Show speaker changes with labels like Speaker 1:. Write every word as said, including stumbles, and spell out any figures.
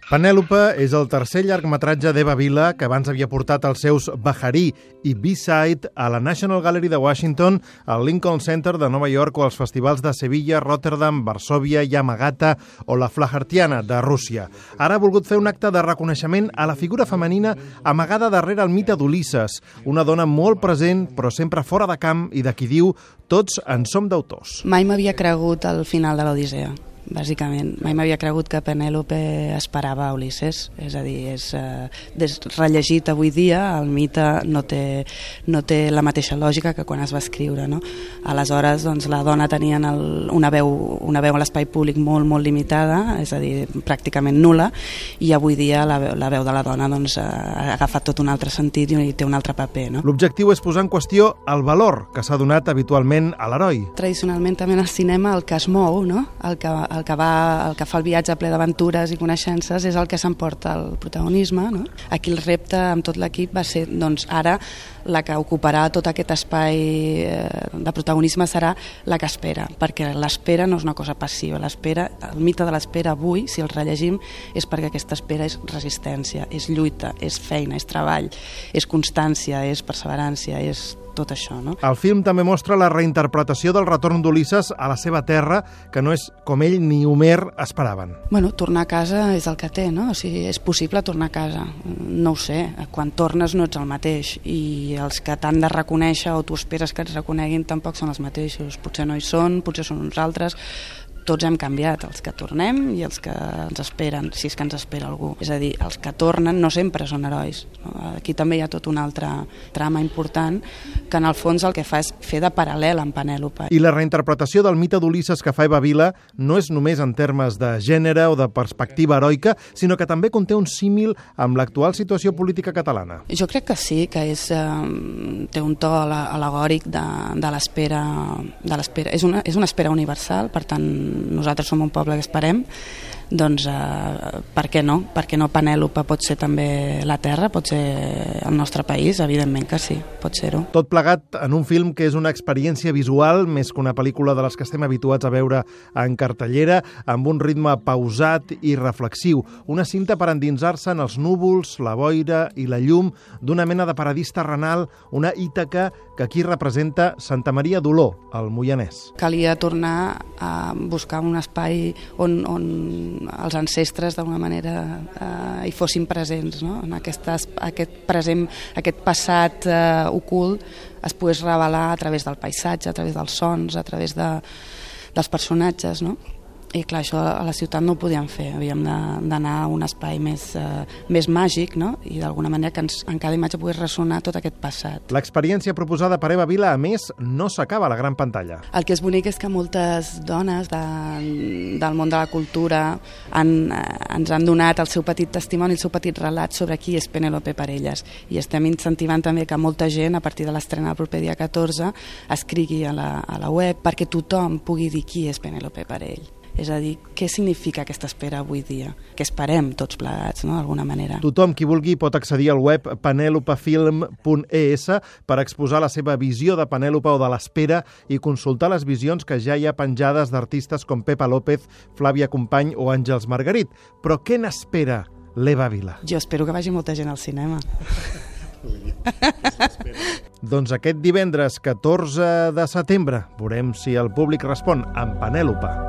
Speaker 1: Penèlope és el tercer llargmetratge d'Eva Vila, que abans havia portat els seus Bajarí i B-Side a la National Gallery de Washington, al Lincoln Center de Nova York o als festivals de Sevilla, Rotterdam, Varsòvia, Yamagata o la Flahertiana de Rússia. Ara ha volgut fer un acte de reconeixement a la figura femenina amagada darrere el mite d'Ulisses, una dona molt present però sempre fora de camp i de qui diu «tots en som d'autors».
Speaker 2: Mai m'havia cregut al final de l'Odissea. Bàsicament, mai m'havia cregut que Penèlope esperava Ulisses, és a dir, és, eh, és rellegit avui dia, el mite no té, no té la mateixa lògica que quan es va escriure, no? Aleshores, doncs, la dona tenia el, una, veu, una veu a l'espai públic molt, molt limitada, és a dir, pràcticament nul·la, i avui dia la, la veu de la dona doncs, ha agafat tot un altre sentit i té un altre paper, no?
Speaker 1: L'objectiu és posar en qüestió el valor que s'ha donat habitualment a l'heroi.
Speaker 2: Tradicionalment també en el cinema el que es mou, no? el que El que, va, el que fa el viatge ple d'aventures i coneixences és el que s'emporta el protagonisme, no? Aquí el repte amb tot l'equip va ser, doncs, ara la que ocuparà tot aquest espai de protagonisme serà la que espera, perquè l'espera no és una cosa passiva, l'espera, el mite de l'espera avui, si el rellegim, és perquè aquesta espera és resistència, és lluita, és feina, és treball, és constància, és perseverància, és tot això, no?
Speaker 1: El film també mostra la reinterpretació del retorn d'Ulisses a la seva terra, que no és com ell ni Homer esperaven.
Speaker 2: Bueno, tornar a casa és el que té, no? O sigui, és possible tornar a casa. No ho sé, quan tornes no ets el mateix i els que t'han de reconèixer o tu esperes que et reconeguin tampoc són els mateixos. Potser no hi són, potser són uns altres. Tots hem canviat, els que tornem i els que ens esperen, si és que ens espera algú. És a dir, els que tornen no sempre són herois. No? Aquí també hi ha tot un altre trama important que en el fons el que fa és fer de paral·lel amb Penèlope.
Speaker 1: I la reinterpretació del mite d'Ulisses que fa Eva Vila no és només en termes de gènere o de perspectiva heroica, sinó que també conté un símil amb l'actual situació política catalana.
Speaker 2: Jo crec que sí, que és, eh, té un to al·legòric de, de l'espera. De l'espera. És, una, és una espera universal, per tant, nosaltres som un poble que esperem, doncs eh, per què no? Per què no Penèlope pot ser també la terra, pot ser el nostre país? Evidentment que sí, pot ser-ho.
Speaker 1: Tot plegat en un film que és una experiència visual, més que una pel·lícula de les que estem habituats a veure en cartellera, amb un ritme pausat i reflexiu. Una cinta per endinsar-se en els núvols, la boira i la llum d'una mena de paradís terrenal, una Ítaca que aquí representa Santa Maria d'Oló, al Moianès.
Speaker 2: Calia tornar a buscar un espai on, on els ancestres d'alguna manera eh, hi fossin presents, no? En aquest, aquest present, aquest passat eh, ocult es pogués revelar a través del paisatge, a través dels sons, a través de, dels personatges, no? I clar, això a la ciutat no ho podíem fer, havíem d'anar a un espai més, eh, més màgic, no? I d'alguna manera que ens, en cada imatge pogués ressonar tot aquest passat.
Speaker 1: L'experiència proposada per Eva Vila, a més, no s'acaba a la gran pantalla.
Speaker 2: El que és bonic és que moltes dones de, del món de la cultura han, eh, ens han donat el seu petit testimoni, el seu petit relat sobre qui és Penèlope per elles. I estem incentivant també que molta gent, a partir de l'estrena del proper dia catorze, escrigui a la, a la web perquè tothom pugui dir qui és Penèlope per ell. És a dir, què significa aquesta espera avui dia? Que esperem tots plegats, no?, d'alguna manera.
Speaker 1: Tothom qui vulgui pot accedir al web penelopefilm punt e essa per exposar la seva visió de Penèlope o de l'espera i consultar les visions que ja hi ha penjades d'artistes com Pepa López, Flàvia Company o Àngels Margarit. Però què n'espera l'Eva Vila?
Speaker 2: Jo espero que vagi molta gent al cinema.
Speaker 1: Doncs aquest divendres catorze de setembre veurem si el públic respon amb Penèlope.